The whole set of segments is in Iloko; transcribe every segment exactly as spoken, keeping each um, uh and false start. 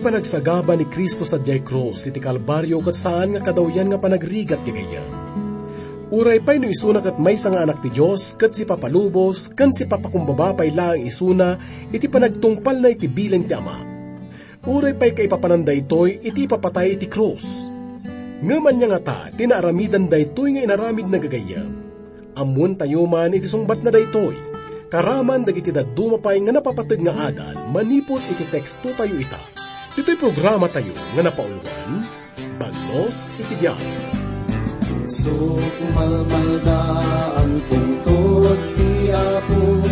Panagsagaba ni Cristo sadiay krus iti Kalbario ket saan nga kadawyan nga panagrigat gagayyem. Uray pay no isuna ket maysa nga Anak ti Dios ket sipapalubos ken sipapakumbaba pay laeng isuna iti panagtungpalna iti bilin ti Ama. Uray pay kaipapanan daytoy iti ipapatay iti krus. Ngem ania ngata ti naaramidan daytoy nga inaramidna gagayyem? Ammoentayo man iti sungbatna daytoy, karaman dagiti dadduma pay nga napapateg nga adal manipud iti tekstotayo ita. Ditoy programatayo nga napauluan, Bagnos iti Biag. Sumalmalda ang pungtot ti Apo,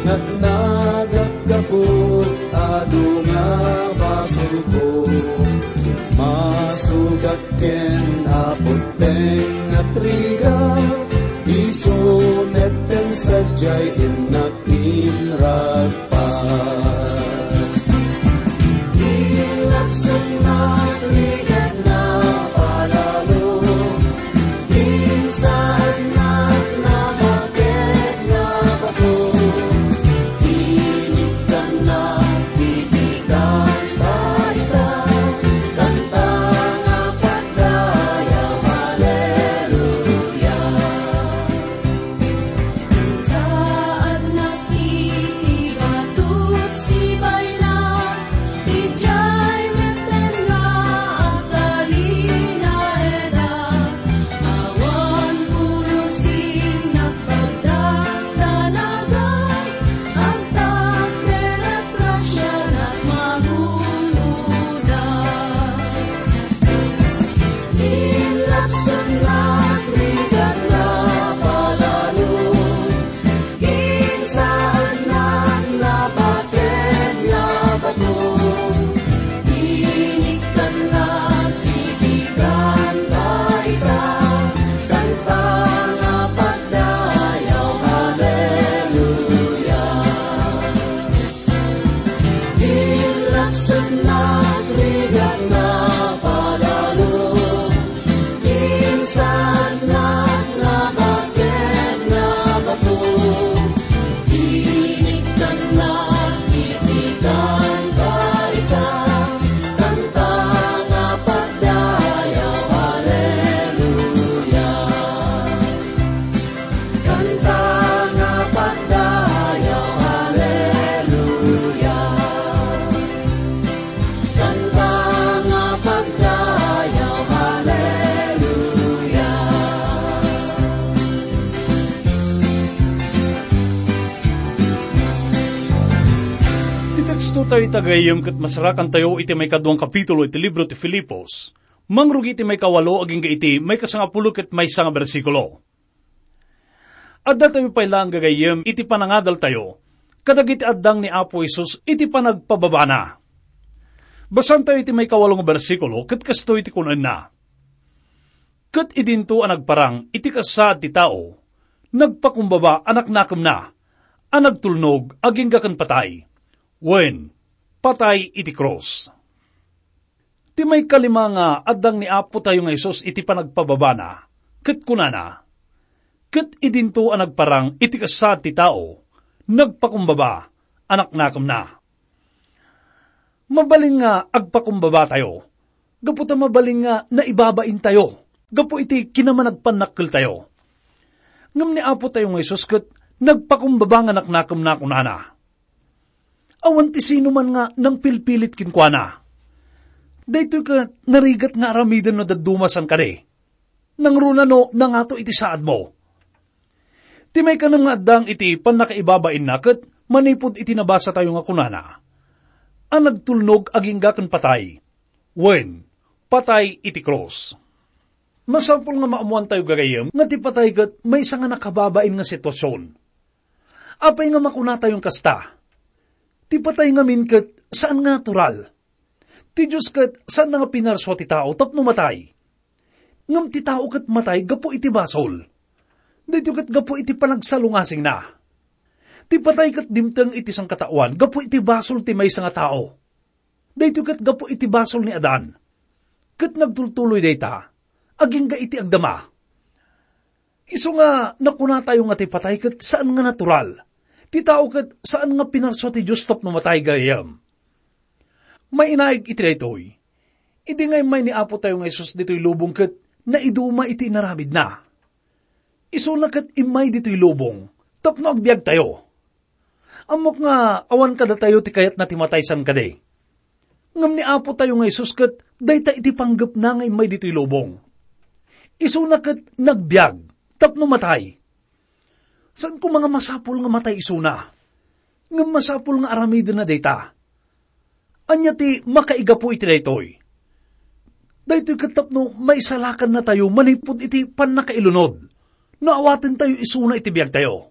nagnagapgapo, adu nga basolko. Masugat ken Apo ti nga rigat, isu met ti sadiay innak inragpat. Innak sumagrigat nga palalo, insaannak nabaket nga bato, inikkannak iti kanta ita, kanta nga pagdayaw, Haleluya. Saannak iti batot sibayna, idiay metten nga agtalinaedak. Awan pulos innak pagdakdanagan, agtaperek grasianak magunoda. Inlapsannak rigat nga palalo, insaannak nabaket nga bato, inikkannak iti kanta ita, kanta nga pagdayaw, Haleluya. Inlapsannak rigat nga palalo, insaannak nabaket nga bato, inikkannak iti kanta ita, kanta nga pagdayaw, Haleluya. Kanta nga pagdayaw, Haleluya. Kanta nga pagdayaw, Haleluya. Ti tekstotayo ita gayam ket masarakantayo iti maikadua nga kapitulo iti libro ti Filipos, mangrugi iti maikawalo agingga iti maikasangapulo ket maysa nga bersikulo. Addatayo pay laeng gagayyem iti panangadaltayo kadagiti addang ni Apo Jesus iti panagpababana. Basaentayo iti maikawalo nga bersikulo ket kastoy ti kunanna, "Ket idinto a nagparang iti kasasaad ti tao, nagpakumbaba a naknakemna, a nagtulnog agingga ken patay, wen, patay iti krus." Ti maikalima nga addang ni Apo tayo nga Jesus iti panagpababana, ket kunana, "Ket idinto a nagparang iti kasasaad ti tao, nagpakumbaba a naknakemna." Mabalin nga agpakumbaba tayo, gapu ta mabalin nga naibabain tayo, gapu iti kinamanagpannakkel tayo. Ngem ni Apo tayo nga Jesus ket nagpakumbaba nga naknakemna, kunana, Awan ti sino man nga nangpilpilit kenkuana. Daytoy ket narigat nga aramiden no dadduma san kadi. Nangruna no nangato iti saadmo. Ti maikanem nga addang iti pannakaibabainna ket manipud iti nabasatayo nga kunana, a nagtulnog agingga ken patay, wen, patay iti krus. Masapul nga maammoantayo gagayyem nga ti patay ket maysa nga nakababain nga sitwasion. Apay nga makunatayon kasta? Ti patay ngamin ket saan nga natural. Ti Dios ket saan nga pinarsua ti tao tapno matay. Ngem ti tao ket matay gapu iti basol. Daytoy ket gapu iti panagsalungasingna. Ti patay ket dimteng iti sangkataoan gapu iti basol ti maysa nga tao. Daytoy ket gapu iti basol ni Adan. Ket nagtultuloy dayta, agingga iti agdama. Isu nga nakunatayo nga ti patay ket saan nga natural. Ti tao ket saan nga pinarsua ti Dios tapno matay gayam. Mainaig iti daytoy, idi nga immay ni Apo tayo nga Jesus ditoy lubong ket naiduma iti inaramidna. Isuna ket immay ditoy lubong tapno agbiag tayo. Ammok nga awan kadatayo ti kayatna ti matay san kadi. Ngem ni Apo tayo nga Jesus ket dayta iti panggepna nga immay ditoy lubong. Isuna ket nagbiag tapno matay. Saan koma nga masapul nga matay isuna. Ngem masapul nga aramidenna dayta. Ania ti makaigapu iti daytoy? Daytoy ket tapno maisalakannatayo manipud iti pannakailunod no awatentayo isuna iti biagtayo.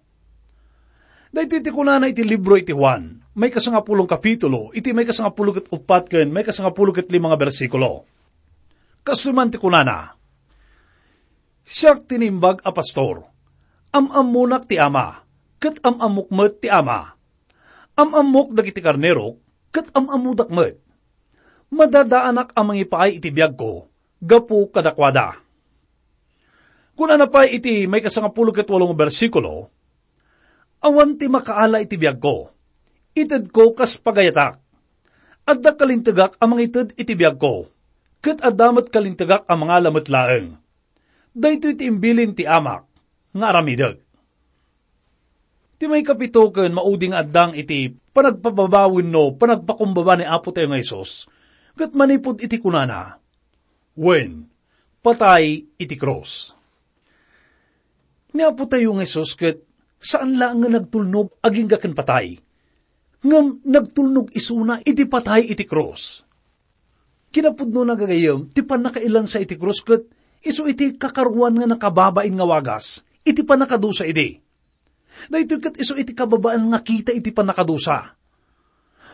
Daytoy ti kunana iti libro iti Juan, maikasangapulo a kapitulo, iti maikasangapulo ket uppat ken maikasangapulo ket lima nga bersikulo. Kastoy man ti kunana, "Siak ti naimbag a pastor. Am-ammonak ti Ama, ket am-ammok met ti Ama. Am-ammok dagiti karnerok, ket am-ammodak met. Madadaanak a mangipaay iti biagko gapu kadakuada." Kunana pay iti maikasangapulo ket walo nga bersikulo, "Awan ti makaala iti biagko. Itedko kas pagayatak. Adda kalintegak a mangited iti biagko, ket adda met kalintegak a mangala met laeng. Daytoy ti imbilin ti Amak nga aramidek." Ti maikapito ken maudi nga addang iti panagpababa wenno panagpakumbaba ni Apo tayo nga Jesus, ket manipud iti kunana, wen, patay iti krus. Ni Apo tayo nga Jesus ket saan laeng nga nagtulnog agingga ken patay, ngem nagtulnog isuna iti patay iti krus. Kinapudnona gagayyem ti pannakailansa iti krus ket isu iti kakaruan nga nakababain nga wagas iti pannakadusa idi. Daytoy ket isu iti kababain nga kita iti pannakadusa.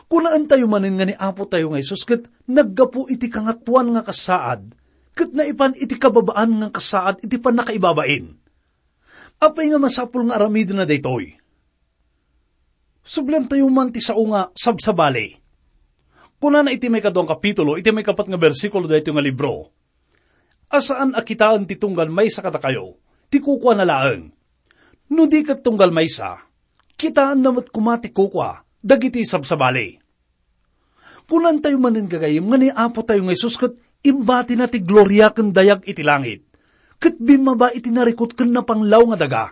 Kunaentayo manen nga ni Apo tayo nga Jesus ket naggapu iti kangatoan nga kasaad, ket naipan iti kababaan nga kasaad iti pannakaibabain. Apay nga masapul nga aramidenna daytoy? Subliantayo man ti sao nga sabsabali. Kunana iti maikadua a kapitulo, iti maikapat nga bersikulo daytoy nga libro, a saan a kitaen ti tunggal maysa kadakayo, ti kukuana laeng. No di ket tunggal maysa, kitaenna met koma ti kukua dagiti sabsabali. Kunantayo manen gagayyem nga ni Apo tayo nga Jesus ket imbatina ti gloria ken dayag iti langit, ket bimmaba iti narikut ken napanglaw nga daga.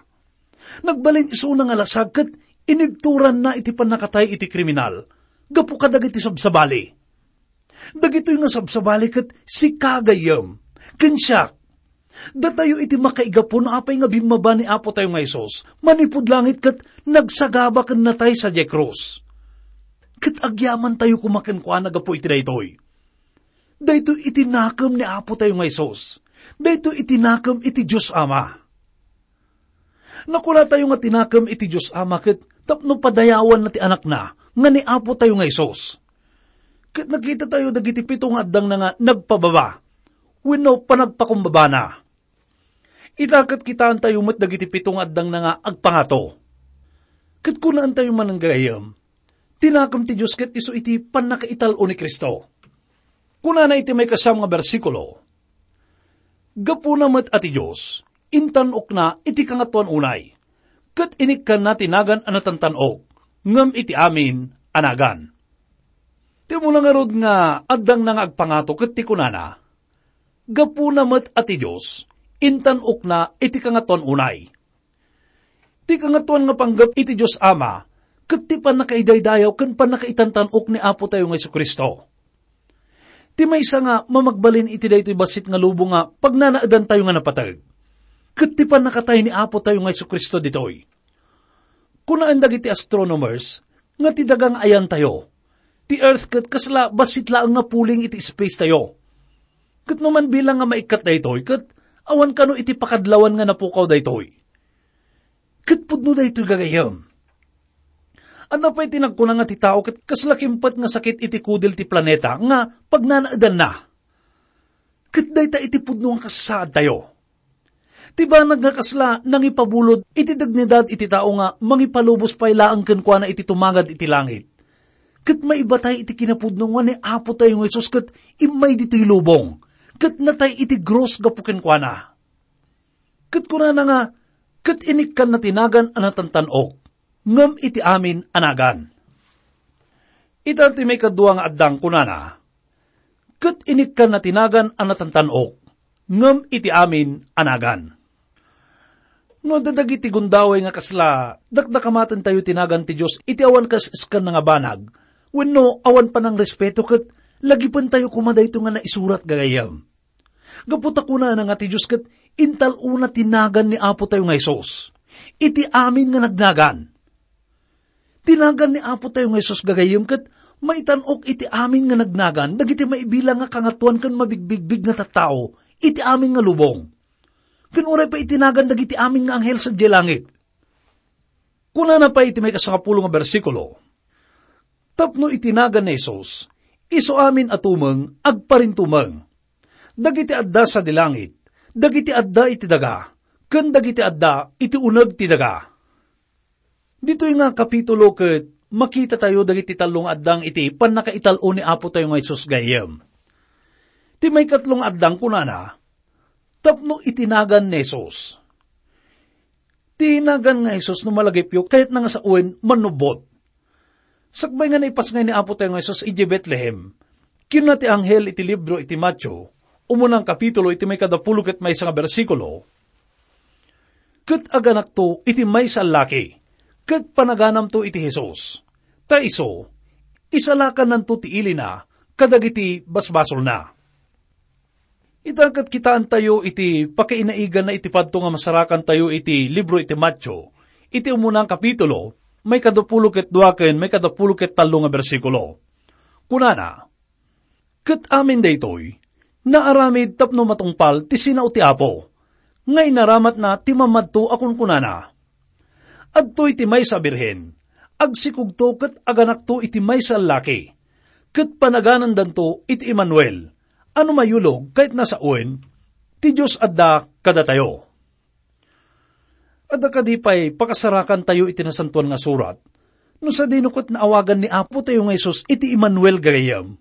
Nagbalin isuna nga lasag ket inibturanna iti pannakatay iti kriminal gapu kadagiti sabsabali. Dagitoy nga sabsabali ket sika, gayyem, ken siak. Datayo iti makaigapu no apay nga bimmaba ni Apo tayo nga Jesus manipud langit ket nagsagaba ken natay sadiay krus. Ket agyamantayo koma kenkuana gapu iti daytoy. Daytoy iti nakem ni Apo tayo nga Jesus. Daytoy iti nakem iti Dios Ama. Nakunatayo nga tinakem iti Dios Ama ket tapno padayawanna ti Anakna nga ni Apo tayo nga Jesus. Ket nakitatayo dagiti pito nga addangna nga nagpababa wenno panagpakumbabana. Ita ket kitaentayo met dagiti pito nga addangna nga agpangato. Ket kunaentayo manen gagayyem, tinakem ti Dios ket isu iti pannakaital-o ni Cristo. Kunana iti maikasiam nga bersikulo, "Gapuna met a ti Dios, intan-okna iti Kangatoan unay, ket inikkanna ti nagan a natantan-ok, ngem iti amin a nagan." Ti umuna ngarud nga addangna nga agpangato ket ti kunana, "Gapuna met a ti Dios, intan-okna iti Kangatoan unay." Ti Kangatoan nga panggep iti Dios Ama, ket ti pannakaidaydayaw ken pannakaitantan-ok ni Apo tayo nga Jesu-Cristo. Ti maysa nga mamagbalin iti daytoy bassit nga lubong nga pagnanaedantayo nga napateg, ket ti pannakatay ni Apo tayo nga Jesu-Cristo ditoy. Kunaen dagiti astronomers nga ti daga nga ayantayo, ti Earth ket kasla bassit laeng nga puling iti space tayo. Ket no man bilang nga maikkat daytoy, ket awan kano iti pakadlawan nga napukaw daytoy. Ket pudno daytoy gagayyem. Adda pay ti nagkuna nga ti tao ket kasla kimpet nga sakit iti kudil ti planeta nga pagnanaedanna. Ket dayta iti pudno nga kasaadtayo. Ti banag nga kasla nangipabulod iti dignidad iti tao nga mangipalubos pay laeng kenkuana iti tumagad iti langit. Ket maibatay iti kinapudno nga ni Apo tayo nga Jesus ket immay ditoy lubong, ket natay iti krus gapu kenkuana. Ket kunana nga, "Ket inikkanna ti nagan a natantan-ok, ngem iti amin a nagan." Ita ti maikadua nga addang kunana, "Ket inikkanna ti nagan a natantan-ok, ngem iti amin a nagan." No adda dagiti gundaway nga kasla, dakdakamatentayo ti nagan ti Dios iti awan kas-iskanna nga banag, wenno awan panangrespeto ket lagipentayo koma daytoy nga naisurat gagayyem. Gapu ta kunana nga ti Dios ket intal-ona ti nagan ni Apo tayo nga Jesus iti amin nga nagnagan. Ti nagan ni Apo tayo nga Jesus gagayyem ket maitan-ok iti amin nga nagnagan dagiti maibilang nga kangatoan ken mabigbigbig nga tattao iti amin nga lubong. Ken uray pay iti nagan dagiti amin nga anghel sadiay langit. Kunana pay iti maikasangapulo nga bersikulo, "Tapno iti nagan ni Jesus, isu amin a tumeng agparintumeng. Dagiti adda sadi langit, dagiti adda iti daga, ken dagiti adda iti uneg ti daga." Ditoy nga kapitulo ket makitatayo dagiti tallo nga addang iti pannakaital-o ni Apo tayo nga Jesus gayyem. Ti maikatlo nga addang kunana, "Tapno iti nagan ni Jesus." Ti nagan nga Jesus no malagipyo, kayatna nga sawen, mannubbot. Sakbay nga naipasngay ni Apo tayo nga Jesus idiay Betlehem, kinuna ti anghel iti libro iti Mateo, umuna nga kapitulo iti maikadapulo ket maysa nga bersikulo, "Ket aganakto iti maysa a laki, ket panaganamto iti Jesus. Ta isu, isalakannanto ti ilina kadagiti basbasolna." Ita ket kitaentayo iti pakainaiganna iti padto nga masarakantayo iti libro iti Mateo, iti umuna nga kapitulo, maikadapulo ket dua ken maikadapulo ket tallo nga bersikulo. Kunana, "Ket amin daytoy, naaramid tapno matungpal ti sinao ti Apo, nga inaramatna ti mamadto a kunkunana, 'Adtoy ti maysa a birhen, agsikogto ket aganakto iti maysa a laki, ket panaganandanto iti Emmanuel,' a no mayulog kayatna sawen, ti Dios adda kadatayo." Adda kadi pay pakasarakantayo iti Nasantoan nga Surat, no sadino ket naawagan ni Apo tayo nga Jesus iti Emmanuel gagayyem?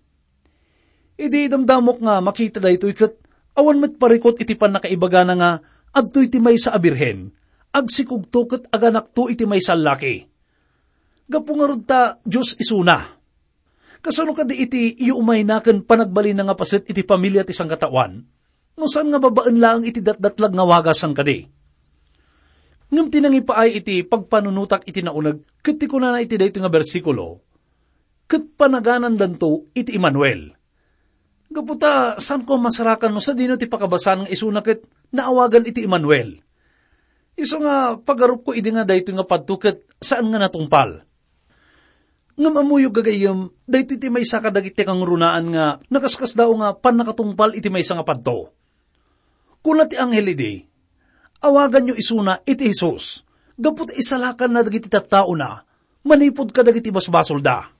Idi damdamok nga makita daytoy ket awan met parikut iti pannakaibagana nga, "Adtoy ti maysa a birhen, agsikogto ket aganakto iti maysa a laki." Gapu ngarud ta Dios isuna. Kasano kadi iti iyumayna ken panagbalinna nga paset iti pamilia ti sangkataoan? No saan nga babaen laeng iti datdatlag nga wagasan kadi. Ngem ti nangipaay iti pagpanunotak iti nauneg ket ti kunana iti daytoy nga bersikulo, "Ket panaganandanto iti Emmanuel." Gapu ta saanko a masarakan no sadino ti pakabasaan nga isuna ket naawagan iti Emmanuel. Isu nga pagarupko idi nga daytoy nga padto ket saan nga natungpal. Ngem ammoyo gagayyem, daytoy ti maysa kadagiti kangrunaan nga nakaskasdaaw nga pannakatungpal iti maysa nga padto. Kuna ti anghel idi, "Awaganyo isuna iti Jesus, gapu ta isalakanna dagiti tattaona manipud kadagiti basbasolda."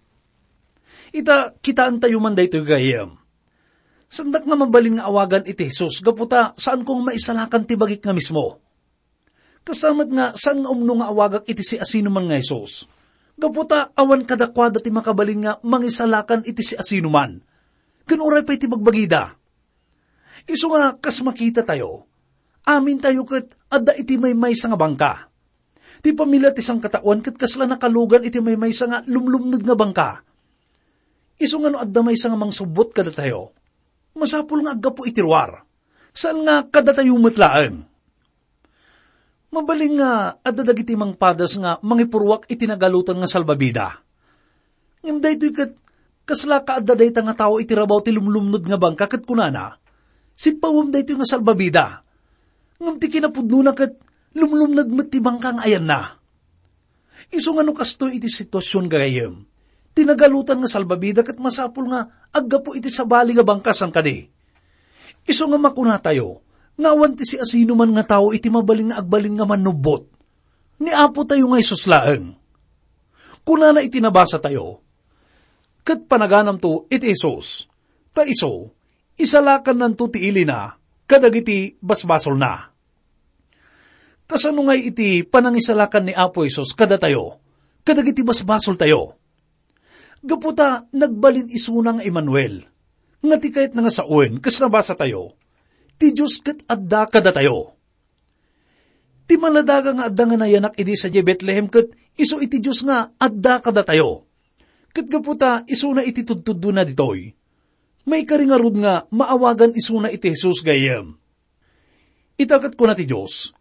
Ita, kitaentayo man daytoy gagayyem. Saandak nga mabalin nga awagan iti Jesus gapu ta saanko nga maisalakan ti bagik nga mismo. Kasta met nga saan nga umno nga awagak iti siasinoman nga Jesus. Gapu ta awan kadakuada ti makabalin nga mangisalakan iti siasinoman. Ken uray pay ti bagbagida. Isu nga kas makitatayo, amintayo ket adda iti maymaysa nga bangka. Ti pamilia ti sangkataoan ket kasla nakalugan iti maymaysa nga lumlumned nga bangka. Isu nga no adda maysa nga mangsubbot kadatayo, masapul nga aggapu iti ruar. Saan nga kadatayo met laeng. Mabalin nga adda dagiti mangpadas nga mangipurruak iti nagalutan nga salbabida. Ngem daytoy ket, kasla kaadda dayta nga tao iti rabaw ti lumlumned nga bangka ket kunana, "Sippawem daytoy nga salbabida." Ngem ti kinapudnona ket lumlumned met ti bangka nga ayanna. Isu nga no kastoy iti situasion, gagayyem, ti nagalutan nga salbabida ket masapul nga aggapu iti sabali nga bangka, saan kadi? Isu nga makunatayo nga awan ti siasinoman nga tao iti mabalin nga agbalin nga mannubbot. Ni Apo tayo nga Jesus laeng. Kunana iti nabasa tayo, "Ket panaganamto iti Jesus, ta isu, isalakannanto ti ilina kadagiti basbasolna." Kasano ngay iti panangisalakan ni Apo Jesus kadatayo, kadagiti basbasoltayo? Gapu ta nagbalin isuna nga Emmanuel, nga ti kayatna nga sawen, kas nabasa tayo, "Ti Dios ket adda kadatayo." Ti maladaga nga adda nga nayanak idi sadiay Betlehem ket isu iti Dios nga adda kadatayo. Ket gapu ta isuna iti tudtuddona ditoy, maikari ngarud nga maawagan isuna iti Jesus gayyem. Ita ket kuna ti Dios,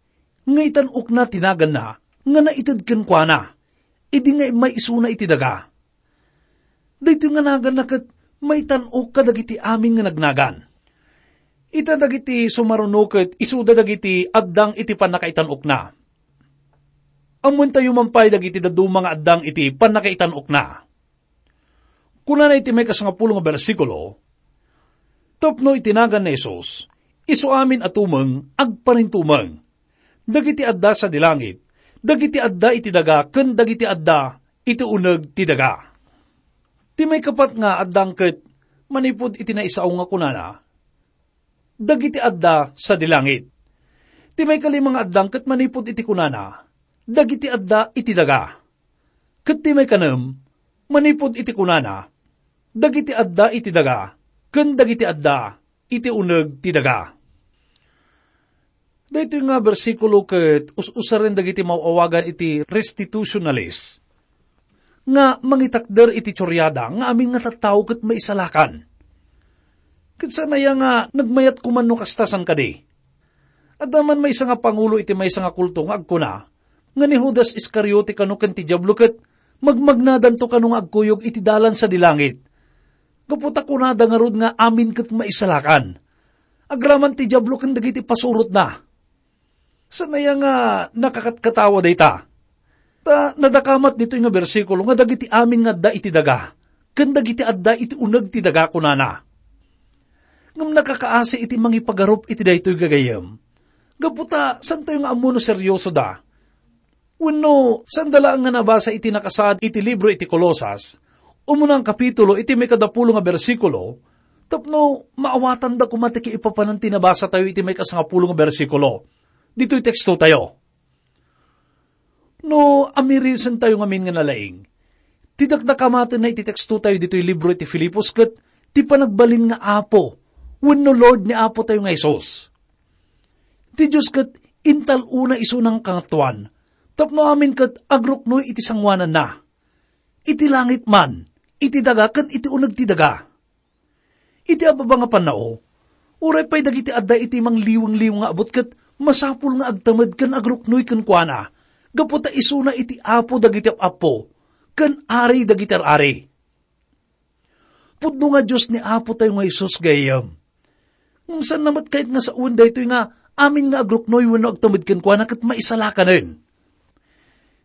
nga itan-okna ti naganna nga naited kenkuana, idi nga immay isuna iti daga. Daytoy nga naganna ket maitan-ok kadagiti amin nga nagnagan. Ita dagiti sumaruno ket isuda dagiti addang iti pannakaitan-okna. Ammoentayo man pay dagiti dadduma nga addang iti pannakaitan-okna. Kunana iti maikasangapulo nga bersikulo, "Tapno iti nagan ni Jesus, isu amin a tumeng agparintumeng. Dagiti adda sadi langit, dagiti adda iti daga, ken dagiti adda iti uneg ti daga." Ti maikapat nga addang ket manipud iti naisao nga kunana, "Dagiti adda sadi langit." Ti maikalima nga addang ket manipud iti kunana, "Dagiti adda iti daga." Ket ti maikanem, manipud iti kunana, "Dagiti adda iti daga, ken dagiti adda iti uneg ti daga." Daytoy nga bersikulo ket us-usaren dagiti maaw-awagan iti restitutionalist nga mangitakder iti turiada nga amin nga tattao ket maisalakan. Ket saan aya nga nagmayat koma no kasta, saan kadi? Adda man maysa nga pangulo iti maysa nga kulto nga agkuna nga ni Judas Iscariote kano ken ti Diablo ket magmagnadanto kano nga agkuyog iti dalan sadi langit. Gapu ta kunada ngarud nga amin ket maisalakan. Agraman ti Diablo ken dagiti pasurotna. Saan aya nga nakakatkatawa dayta? Ta nadakamat ditoy nga bersikulo nga dagiti amin nga adda iti daga, ken dagiti adda iti uneg ti daga, kunana. Ngem nakakaasi iti mangipagarup iti daytoy, gagayyem. Gapu ta, saantayo nga ammo no seriosoda. Wenno, saanda laeng nga nabasa iti nakasaad iti libro iti Colosas, umuna nga kapitulo iti maikadapulo nga bersikulo, tapno maawatanda koma ti kaipapanan ti nabasatayo iti maikasangapulo nga bersikulo. Ditoy tekstotayo. No, amirisentayo ngamin nga nalaing, ti dakdakamatenna iti tekstotayo ditoy libro iti Filipos ket ti panagbalin nga Apo wenno Lord ni Apo tayo nga Jesus. Ti Dios ket intal-ona isuna nga Kangatoan tapno amin ket agruknoy iti sangoananna, iti langit man, iti daga, ken iti uneg ti daga. Iti ababa nga pannao, uray pay dagiti adda iti mangliwengngiliw nga abut ket masapul nga agtamed ken agruknoy kenkuana, gapu ta isuna iti Apo dagiti ap-appo ken Ari dagiti ar-ari. Pudno nga Dios ni Apo tayo nga Jesus, gayyem. Ngem saan na met kayat nga sawen daytoy nga amin nga agruknoy wenno agtamed kenkuana ket maisalakanen.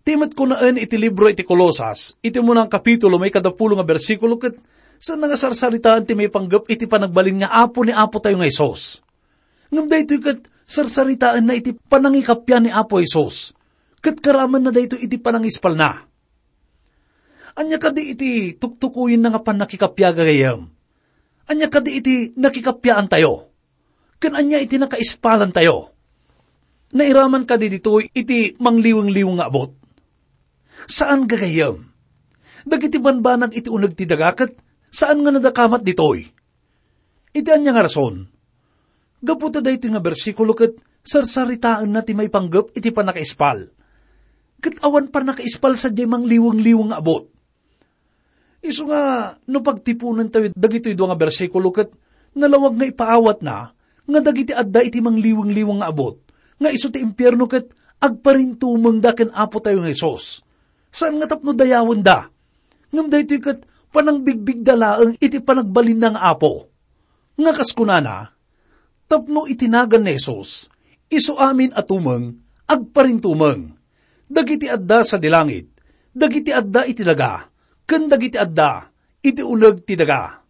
Ti met kunaen iti libro iti Colosas, iti umuna nga kapitulo, maikadapulo nga bersikulo, ket saan na nga sarsaritaen ti maipanggep iti panagbalin nga Apo ni Apo tayo nga Jesus. Ngem daytoy ket sarsaritaenna iti panangikappia ni Apo Jesus, ket karamenna daytoy iti panangispalna. Ania kadi iti tuktukoyenna nga pannakikappia, gagayyem? Ania kadi iti nakikappiaantayo? Ken ania iti nakaispalantayo? Nairaman kadi ditoy iti mangliwengngiliw nga abut? Saan, gagayyem. Dagiti banbanag iti uneg ti daga ket saan nga nadakamat ditoy. Iti ania nga rason? Gapu ta daytoy nga bersikulo ket sarsaritaenna ti maipanggep iti pannakaispal. Ket awan pannakaispal sadiay mangliwengngiliw nga abut. Isu nga, no pagtiponentayo dagitoy dua nga bersikulo ket nalawag nga ipaawatna nga dagiti adda iti mangliwengngiliw nga abut, nga isu ti impierno ket agparintumengda ken Apo tayo nga Jesus. Saan nga tapno dayawenda, ngem daytoy ket panangbigbigda laeng iti panagbalinna nga Apo. Nga kas kunana, tapno iti nagan ni Jesus, isu amin a tumeng, agparintumeng. Dagiti adda sadi langit, dagiti adda iti daga, ken dagiti adda iti uneg ti daga.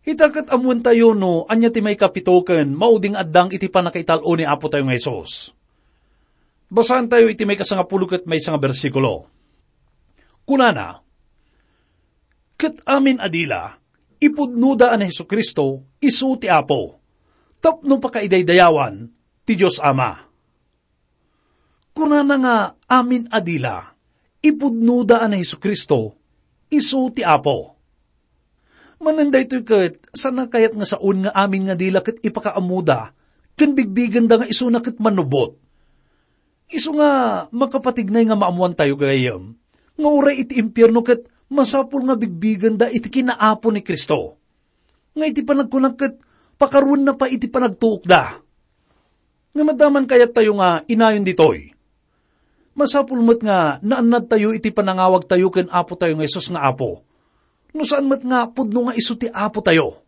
Ita ket ammoentayo no ania ti maikapito ken mauding addang iti pannakaital-o ni Apo tayo nga Jesus. Basaentayo iti maikasangapulo ket maysa nga bersikulo. Kunana, "Ket amin a dila, ipudnoda a ni Jesu-Cristo isu ti Apo, tapno pakaidaydayawan ti Dios Ama." Kunana nga amin a dila, ipudnoda a ni Jesu-Cristo isu ti Apo. Manen daytoy ket, saan a kayat nga saon nga amin nga dila ket ipakaammoda ken bigbigenda nga isuna ket mannubbot. Isu nga makapatignay nga maammoantayo, gagayyem, nga uray iti impierno ket masapul nga bigbigenda iti kinaapo ni Cristo. Nga iti panagkunak ket pakaruenna pay iti panagtuokda. Ngem adda man kayattayo nga inayon ditoy. Masapul met nga naannadtayo iti panangawagtayo ken Apotayo nga Jesus nga Apo. No saan met nga pudno nga isu ti Apotayo.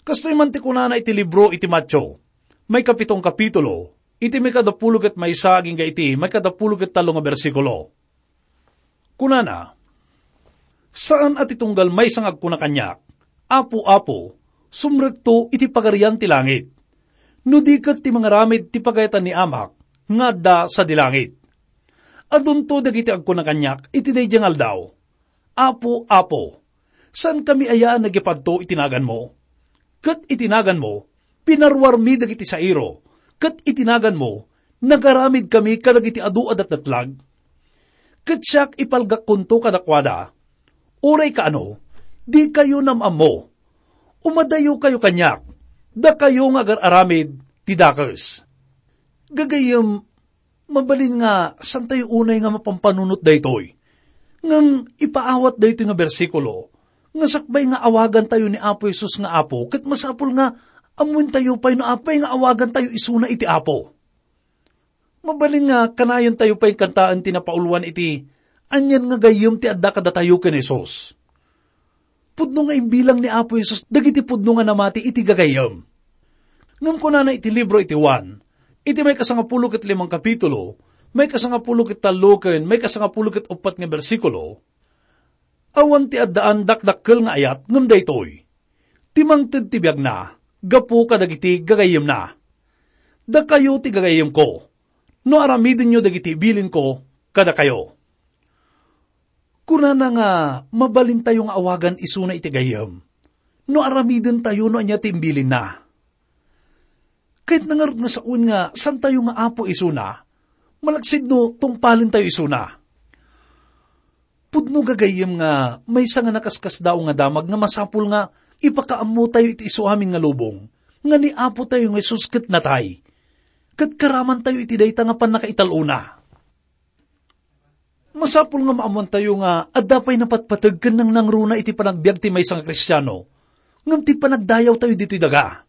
Kastoy man ti kunana iti libro iti Mateo, maikapitong kapitulo, iti maikadapulo ket maysa agingga iti maikadapulo ket tallo nga bersikulo. Kunana, "Saan a ti tunggal maysa nga agkuna kaniak, 'Apo, Apo,' sumrekto iti Pagarian ti Langit. No di ket ti mangaramid ti pagayatan ni Amak nga adda sadi langit." Adunto dagiti agkuna kaniak iti daydiay nga aldaw, 'Apo, Apo, saankami aya a nagipadto iti naganmo? Ket iti naganmo, pinaruarmi dagiti sairo, ket iti naganmo, nagaramidkami kadagiti adu a datdatlag? Ket siak, ipalgakkonto kadakuada, uray kaano, dikayo nam-ammo. Umadayokayo kaniak, dakayo nga agar-aramid ti dakes. Gagayyem, mabalin nga saantayo unay nga mapampanunot daytoy. Ngem ipaawat daytoy nga bersikulo nga sakbay nga awagantayo ni Apo Jesus nga Apo, ket masapul nga ammoentayo pay no apay nga awagantayo isuna iti Apo. Mabalin nga kanayontayo pay kantaen ti napauluan iti "Anian nga gayyem ti adda kadatayo ken Jesus?" Pudno nga imbilang ni Apo Jesus dagiti pudno nga namati iti gagayyem. Ngem kunana iti libro iti Juan, iti maikasangapulo ket limang kapitulo, maikasangapulo ket tallo ken maikasangapulo ket uppat nga bersikulo, "Awan ti addaan dakdakkel nga ayat ngem daytoy: ti mangted ti biagna gapu kadagiti gagayyemna. Dakayo ti gagayyemko, no aramidenyo dagiti ibilinko kadakayo." Kunana nga mabalintayo nga awagan isuna iti gayyem no aramidentayo no ania ti imbilinna. Kayatna ngarud nga sawen nga saantayo nga Apo isuna, malaksid no tungpalentayo isuna. Pudno gagayyem nga maysa nga nakaskasdaaw nga damag nga masapul nga ipakaammotayo iti isuamin nga lubong, nga ni Apotayo nga Jesus ket natay, ket karamantayo iti dayta nga pannakaital-ona. Masapul nga maammoantayo nga adda pay napatpateg ken nangnangruna iti panagbiag ti maysa nga Kristiano, ngem ti panagdayawtayo ditoy daga.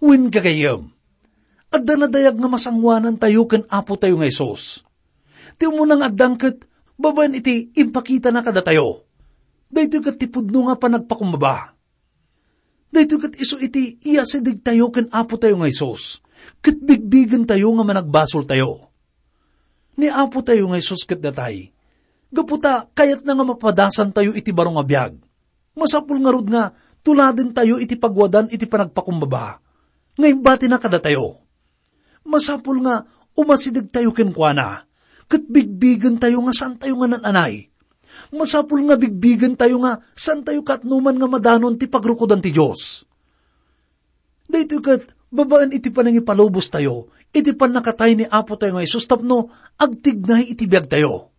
Wen, gagayyem, adda nadayag nga masangoanantayo ken Apotayo nga Jesus. Ti umuna nga addaan ket babaen iti impakitana kadatayo. Daytoy ket ti pudno nga panagpakumbaba. Daytoy ket isu iti iyasidegtayo ken Apotayo nga Jesus, ket bigbigentayo nga managbasoltayo. Ni Apotayo nga Jesus ket natay, gapu ta kayatna nga mapadasantayo iti baro nga biag. Masapul ngarud nga tuladentayo iti pagwadan iti panagpakumbaba nga imbatina kadatayo. Masapul nga umasidegtayo kenkuana, ket bigbigentayo nga saantayo nga nan-anay. Masapul nga bigbigentayo nga saantayo kaatnoman nga madanon ti pagrukodan ti Dios. Daytoy ket babaen iti panangipalubostayo iti pannakatay ni Apotayo nga Jesus tapno agtignay iti biagtayo.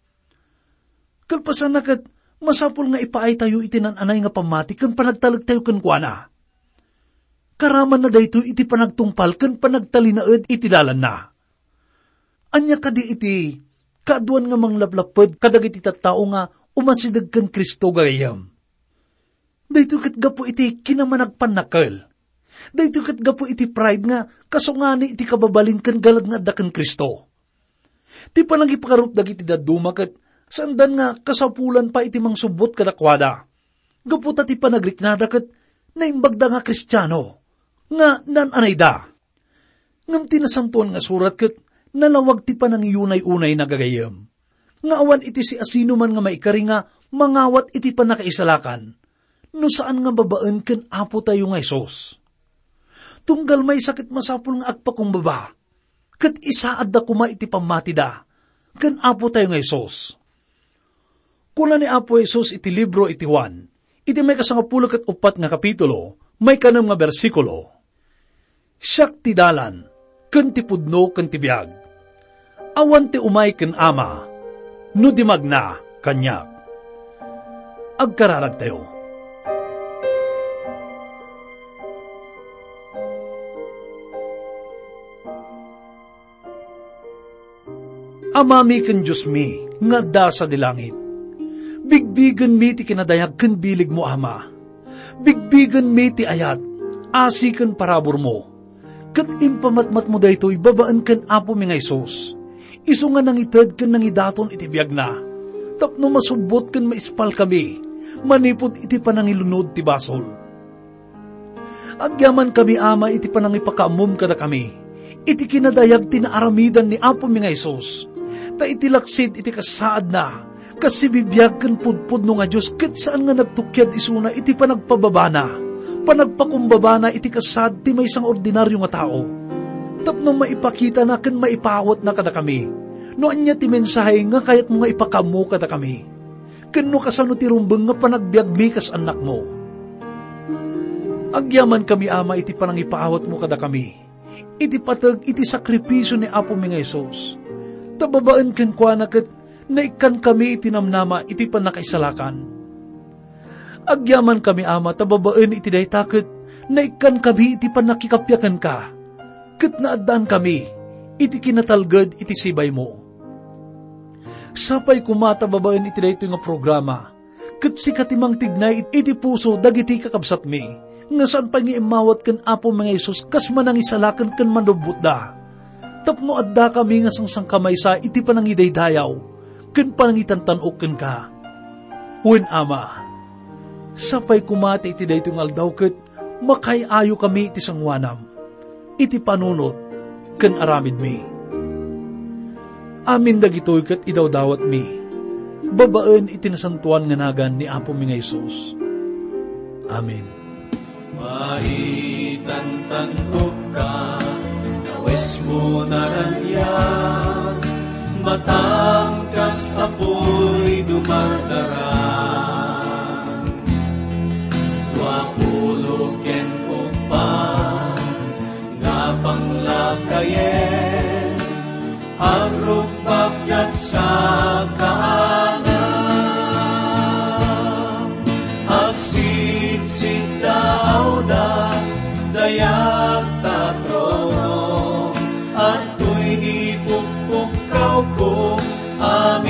Kalpasanna ket, masapul nga ipaaytayo iti nan-anay nga pammati ken panagtalektayo kenkuana. Karamanna daytoy iti panagtungpal ken panagtalinaed iti dalanna. Ania kadi iti kaaduan nga manglaplapped kadagiti tattao nga umasideg ken Cristo gagayyem? Daytoy ket gapu iti kinamanagpannakkel. Daytoy ket gapu iti pride nga kasungani iti kababalin ken galad nga adda ken Cristo. Ti panangipakarup dagiti dadduma ket saandan nga kasapulan pay iti mangsubbot kadakuada. Gapu ta ti panagriknada ket naimbagda nga Kristiano, nga naan-anayda. Ngem ti Nasantoan nga Surat ket nalawag ti panangiyunay-unayna gagayyem, nga awan iti siasinoman nga maikari nga mangawat iti pannakaisalakan, no saan nga babaen ken Apotayo nga Jesus. Tunggal maysa ket masapul nga agpakumbaba, ket isaadda koma iti pammatida ken Apotayo nga Jesus. Kuna ni Apo Jesus iti libro iti Juan, iti maikasangapulo ket uppat nga kapitulo, maikanem nga bersikulo, "Siak ti dalan, ken ti pudno, ken ti biag. Awan ti umay ken Ama, no di magna kaniak." Agkararagtayo. Amami ken Diosmi nga adda sadi langit, Bigbigenmi ti kinadayag ken biligmo, Ama. Bigbigenmi ti ayat, asi ken paraburmo. Ket impamatmatmo daytoy babaen ken Apomi nga Jesus, isu nga nangited ken nangidaton iti biagna, tapno masubbot ken maispalkami manipud iti panangilunod ti basol. Agyamankami, Ama, iti panangipakaammom kadakami iti kinadayag ti naaramidan ni Apomi nga Jesus. Ta iti laksid iti kasaadna, kas sibibiag ken pudpudno nga Dios ket saan nga nagtukiad isuna iti panagpababana, panagpakumbabana iti kasaad ti maysa nga ordinario nga tao, tapno maipakitana ken maipaawatna kadakami no ania ti mensahe nga kayatmo nga ipakaammo kadakami, ken no kasano ti rumbeng nga panagbiagmi kas annakmo. Agyamankami, Ama, iti panangipaawatmo kadakami iti pateg iti sakripisio ni Apomi nga Jesus. Ta babaen kenkuana ket naikkankami iti namnama iti pannakaisalakan. Agyamankami, Ama, ta babaen iti dayta ket naikkankami iti pannakikappia kenka, ket naaddaankami iti kinatalged iti sibaymo. Sapay koma ta babaen iti daytoy nga programa, ket sika ti mangtignay iti puso dagiti kakabsatmi, nga saan pay nga immawat ken Apomi nga Jesus kas manangisalakan ken manlubbotda, tapno addakami nga sangsangkamaysa iti panangidaydayaw ken panangitantan-ok kenka. Wen, Ama, sapay koma ta iti daytoy nga aldaw ket makaay-ayokami iti sangoanam, iti panunot ken aramidmi. Amin dagitoy ket idawdawatmi babaen iti nasantoan nga nagan ni Apomi nga Jesus. Amen. Maitantanokka, kawesmo naraniag, matangkas a puy dumardara. Dua pulo ken uppat nga panglakayen, agrukbak ket sakaana. Agsitsit ta awda, dayag ta trono, adtoy ipukpukkawko, amin